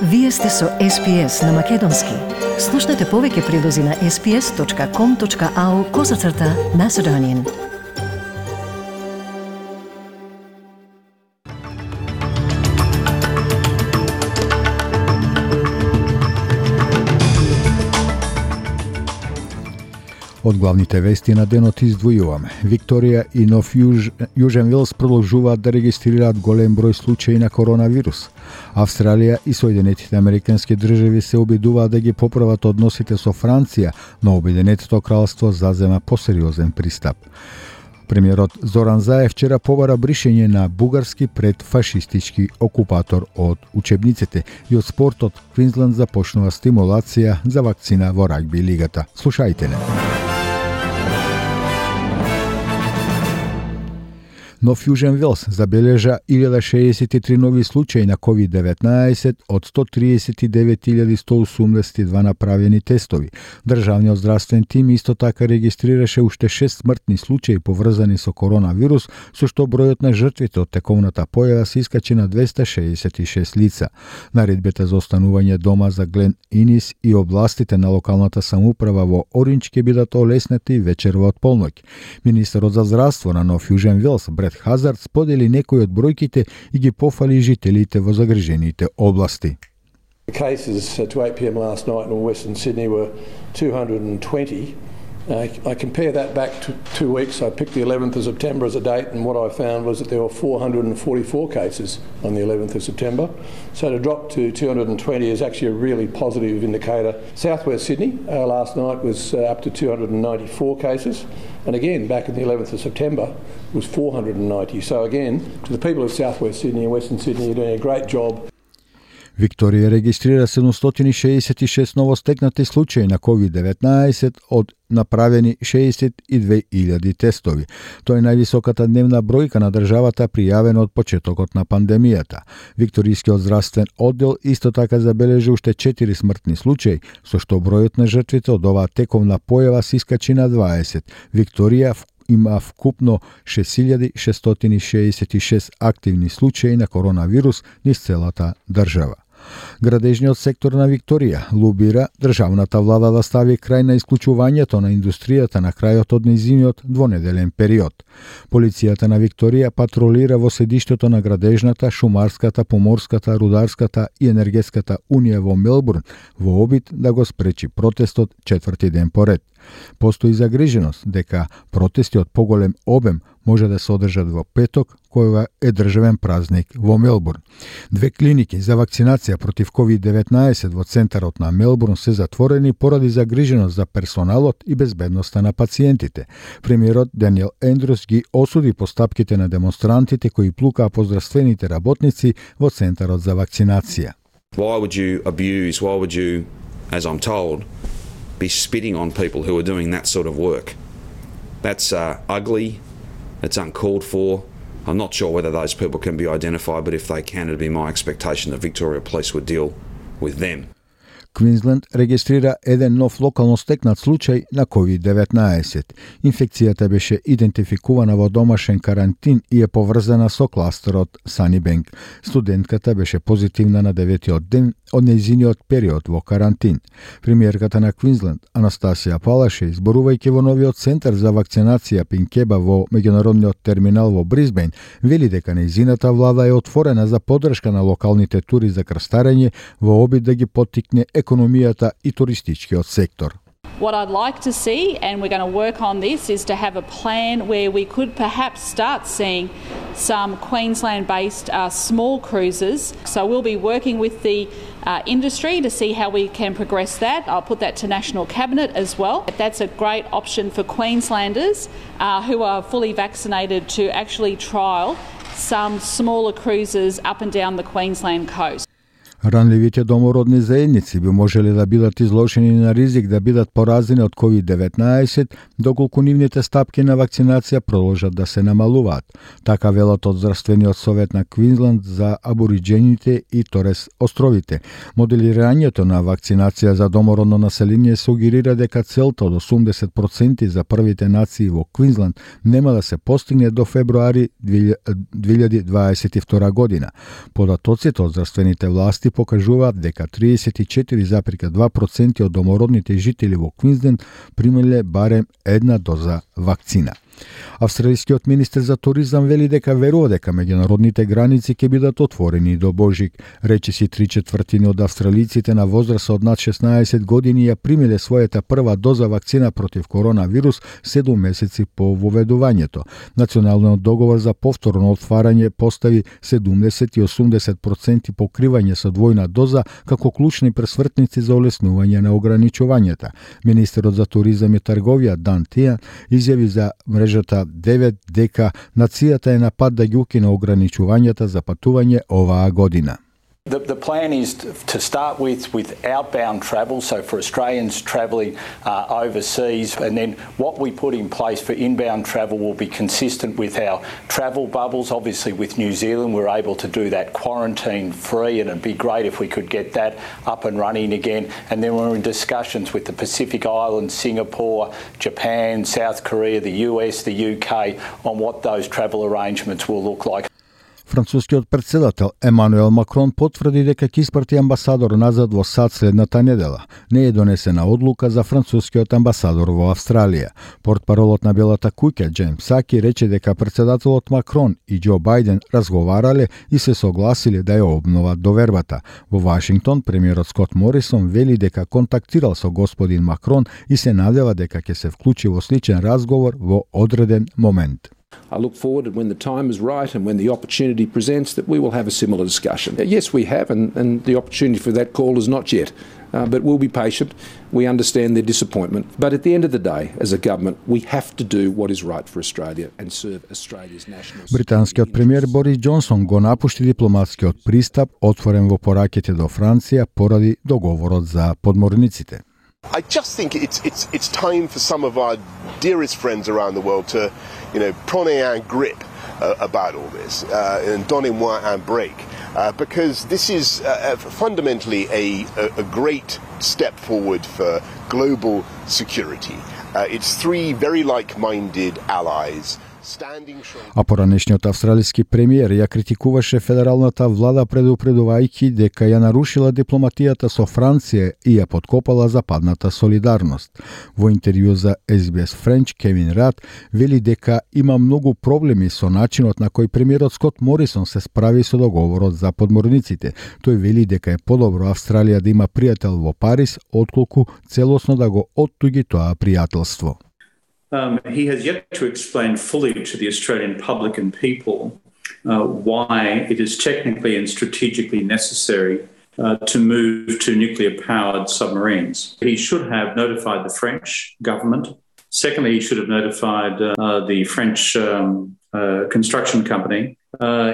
Вие сте со SPS на Македонски. Слушнете повеќе прилози на sps.com.au/Macedonian. Од главните вести на денот издвојуваме. Викторија и Нов Јужен Велс продолжуваат да регистрираат голем број случаи на коронавирус. Австралија и Соединетите Американски држави се обидуваат да ги поправат односите со Франција, но Обединетото кралство зазема посериозен пристап. Премиерот Зоран Заев вчера побара бришење на бугарски предфашистички окупатор од учебниците и од спортот. Квинсленд започнува стимулација за вакцина во рагби лигата. Слушајте не. Нов Јужен Велс забележа 1063 нови случаи на COVID-19 од 139.182 направени тестови. Државниот здравствен тим исто така регистрираше уште 6 смртни случаи поврзани со коронавирус, со што бројот на жртвите од тековната појава се искачи на 266 лица. Наредбата за останување дома за Глен Инис и областите на локалната самоуправа во Оринџ ќе бидат олеснати вечерва од полноќ. Министерот за здравство на Нов Јужен Велс Хазард сподели некои од бројките и ги пофали жителите во загрижените области. The cases to 8 p.m. last night in Western Sydney were 220. I compare that back to 2 weeks. I picked the 11th of September as a date, and what I found was that there were 444 cases on the 11th of September. So to drop to 220 is actually a really positive indicator. Southwest Sydney last night was up to 294 cases, and again back in the 11th of September was 490. So again, to the people of Southwest Sydney and Western Sydney, you're doing a great job. Викторија регистрира 766 новостекнати случаи на COVID-19 од направени 62.000 тестови. Тоа е највисоката дневна бројка на државата пријавена од почетокот на пандемијата. Викторискиот здравствен оддел исто така забележи уште 4 смртни случаи, со што бројот на жртвите од оваа тековна појава се искачи на 20. Викторија има вкупно 6666 активни случаи на коронавирус низ целата држава. Градежниот сектор на Викторија лобира државната влада да стави крај на исклучувањето на индустријата на крајот од нејзиниот двонеделен период. Полицијата на Викторија патролира во седиштето на градежната, шумарската, поморската, рударската и енергетската унија во Мелбурн во обид да го спречи протестот четврти ден поред. Постои загриженост дека протести од поголем обем може да се одржат во петок, кој е државен празник во Мелбурн. 2 клиники за вакцинација против COVID-19 во центарот на Мелбурн се затворени поради загриженост за персоналот и безбедноста на пациентите. Премиерот Даниел Ендрус ги осуди постапките на демонстрантите кои плукаа по здравствените работници во центарот за вакцинација. Why would you, as I'm told, be spitting on people who are doing that sort of work? That's ugly. It's uncalled for. I'm not sure whether those people can be identified, but if they can, it'd be my expectation that Victoria Police would deal with them. Квинсленд регистрира еден нов локално стекнат случај на COVID-19. Инфекцијата беше идентификувана во домашен карантин и е поврзана со кластерот Санибенк. Студентката беше позитивна на 9-тиот ден од нејзиниот период во карантин. Премиерката на Квинсленд, Анастасија Палаше, изборувајќи во новиот центар за вакцинација Пинкеба во меѓународниот терминал во Брисбејн, вели дека нејзината влада е отворена за поддршка на локалните тури за крстарење во обид да ги поттикне економијата и туристичкиот сектор. What I'd like to see, and we're going to work on this, is to have a plan where we could perhaps start seeing some Queensland-based small cruises. So we'll be working with the industry to see how we can progress that. I'll put that to National Cabinet as well. That's a great option for Queenslanders who are fully vaccinated to actually trial some smaller cruises up and down the Queensland coast. Ранливите домородни заедници би можеле да бидат изложени на ризик да бидат поразени од COVID-19 доколку нивните стапки на вакцинација продолжат да се намалуваат. Така велат од Здравствениот совет на Квинсленд за абориџените и Торес островите. Моделирањето на вакцинација за домородно население сугерира дека целта од 80% за првите нации во Квинсленд нема да се постигне до февруари 2022 година. Податоците од здравствените власти власти покажуваат дека 34,2% од домородните жители во Квинсленд примиле барем една доза вакцина. Австралискиот министер за туризам вели дека верува дека меѓународните граници ќе бидат отворени до Божик. Речиси 3/4 од австралиците на возраст од над 16 години ја примиле својата прва доза вакцина против коронавирус 7 месеци по воведувањето. Националниот договор за повторно отварање постави 70 и 80% покривање со двојна доза како клучни пресвртници за олеснување на ограничувањата. Министерот за туризам и трговија Дан Тијан изјави за мрежата 9 дека нацијата е на пат да ги укине ограничувањата за патување оваа година. The plan is to start with outbound travel, so for Australians travelling overseas, and then what we put in place for inbound travel will be consistent with our travel bubbles. Obviously with New Zealand we're able to do that quarantine free, and it'd be great if we could get that up and running again. And then we're in discussions with the Pacific Islands, Singapore, Japan, South Korea, the US, the UK on what those travel arrangements will look like. Францускиот претседател Емануел Макрон потврди дека ќе испрати амбасадор назад во САД следната недела. Не е донесена одлука за францускиот амбасадор во Австралија. Портпаролот на Белата куќа Џеймс Саки рече дека претседателот Макрон и Џо Бајден разговарале и се согласиле да ја обноват довербата. Во Вашингтон премиерот Скот Морисон вели дека контактирал со господин Макрон и се надева дека ќе се вклучи во сличен разговор во одреден момент. I look forward and when the time is right and when the opportunity presents that we will have a similar discussion. Yes, we have, and the opportunity for that call is not yet. But we'll be patient. We understand their disappointment. But at the end of the day, as a government, we have to do what is right for Australia and serve Australia's national security. Британскиот премиер Борис Џонсон го напушти дипломатскиот пристап отворен во пораките до Франција поради договорот за подморниците. I just think it's time for some of our dearest friends around the world to, prenez un grip about all this and donnez-moi un break, because this is fundamentally a great step forward for global security. It's three very like-minded allies. А поранешниот австралиски премиер ја критикуваше федералната влада предупредувајќи дека ја нарушила дипломатијата со Франција и ја подкопала западната солидарност. Во интервју за SBS French, Кевин Рад вели дека има многу проблеми со начинот на кој премиерот Скот Морисон се справи со договорот за подморниците. Тој вели дека е подобро Австралија да има пријател во Париз, отколку целосно да го оттуги тоа пријателство. He has yet to explain fully to the Australian public and people why it is technically and strategically necessary to move to nuclear-powered submarines. He should have notified the French government. Secondly, he should have notified the French construction company.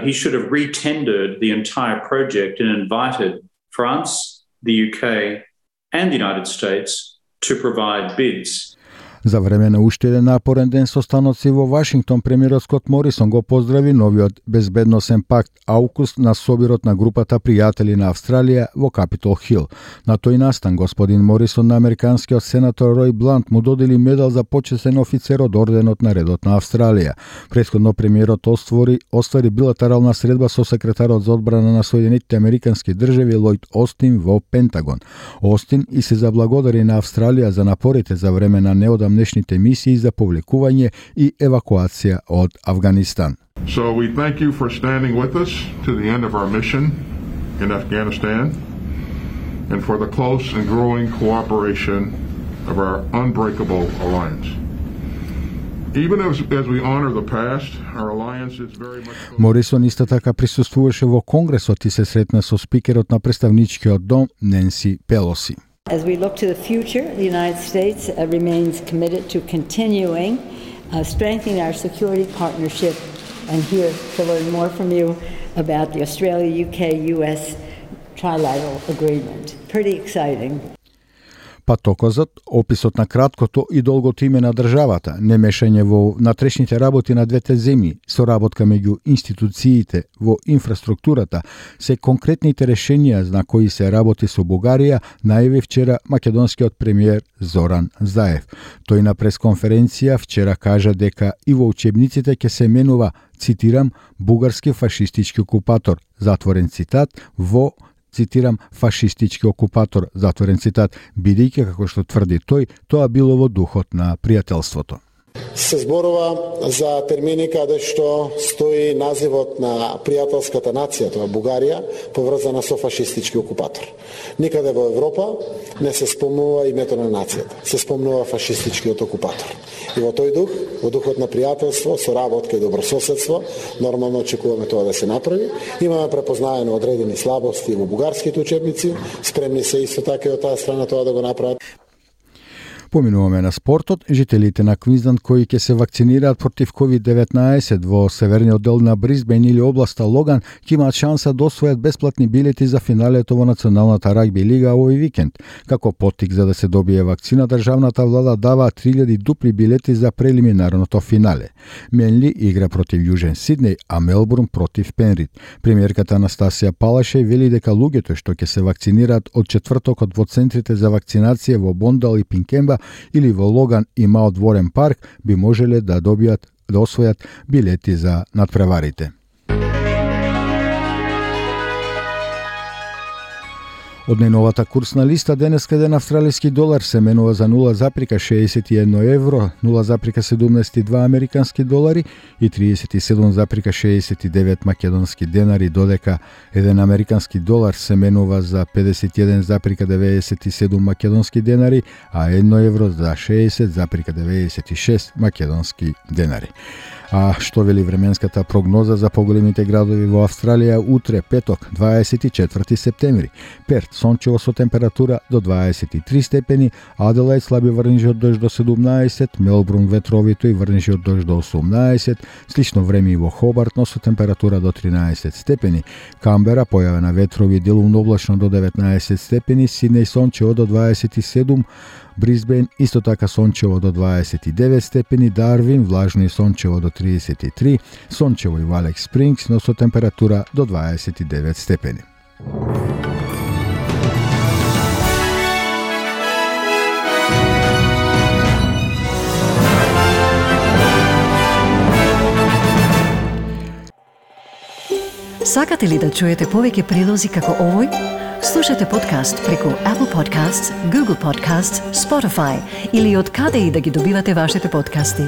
He should have re-tendered the entire project and invited France, the UK and the United States to provide bids. За време на уште еден напорен ден со станоци во Вашингтон, премиерот Скот Морисон го поздрави новиот безбедносен пакт AUKUS на собирот на групата пријатели на Австралија во Капитол Хил. На тој настан господин Морисон на американскиот сенатор Рој Блант му додели медал за почесен офицер од орденот на редот на Австралија. Претходно премиерот оствари билатерална средба со секретарот за одбрана на Соединетите американски држави Лојд Остин во Пентагон. Остин и се заблагодари на Австралија за напорите за време на неодамнешните мисии за повлекување и евакуација од Авганистан. So we thank you for standing with us to the end of our mission in Afghanistan and for the close and growing cooperation of our unbreakable alliance. Even as we honor the past, our alliance is very much... Морисон исто така присуствуваше во Конгресот и се сретна со спикерот на представничкиот дом Ненси Пелоси. As we look to the future, the United States remains committed to continuing strengthening our security partnership, and here to learn more from you about the Australia-UK-US trilateral agreement. Pretty exciting. Патоказот, описот на краткото и долгото име на државата, немешање во внатрешните работи на двете земји, соработка меѓу институциите во инфраструктурата, се конкретните решенија на кои се работи со Бугарија, најави вчера македонскиот премиер Зоран Заев. Тој на пресконференција вчера кажа дека и во учебниците ќе се менува, цитирам, бугарски фашистички окупатор, затворен цитат, во цитирам, фашистички окупатор, затворен цитат, бидејќи, како што тврди тој, тоа било во духот на пријателството. Се зборува за термини каде што стои називот на пријателската нација, тоа Бугарија, поврзана со фашистички окупатор. Никаде во Европа не се спомнува името на нацијата, се спомнува фашистичкиот окупатор. И во тој дух, во духот на пријателство, соработка и добрососедство, нормално очекуваме тоа да се направи. Имаме препознаено одредени слабости во бугарските учебници, спремни се исто така и од таа страна тоа да го направат. Поминуваме на спортот. Жителите на Квинсленд кои ќе се вакцинираат против COVID-19 во северниот дел на Брисбен или областа Логан ќе имаат шанса да освојат бесплатни билети за финалето во Националната рагби лига овој викенд. Како поттик за да се добие вакцина, државната влада дава 3000 дупли билети за прелиминарното финале. Менли игра против Јужен Сиднеј, а Мелбурн против Пенрид. Премиерката Анастасија Палашеј вели дека луѓето што ќе се вакцинираат од четвртокот во центрите за вакцинација во Бондал и Пинкемба или во Логан и Маут Ворен парк би можеле да освојат билети за надпреварите. Од најновата курсна листа денеска еден австралиски долар се менува за 0,61 евро, 0,72 американски долари и 37,69 македонски денари, додека еден американски долар се менува за 51,97 македонски денари, а 1 евро за 60,96 македонски денари. А што вели временската прогноза за поголемите градови во Австралија утре, петок, 24 септември? Перт, сончево со температура до 23 степени, Аделаид слаби врнежи од дожд до 17, Мелбурн ветровито и врнежи од дожд до 18, слично време и во Хобарт, но со температура до 13 степени, Камбера појавена ветрови делумно облачно до 19 степени, Сиднеј сончево до 27, Брисбен исто така сончево до 29 степени, Дарвин влажно и сончево до 33, сончево и во Алекс Спрингс, но со температура до 29 степени. Сакате ли да чуете повеќе прилози како овој? Слушате подкаст преку Apple Podcasts, Google Podcasts, Spotify или од каде и да ги добивате вашите подкасти.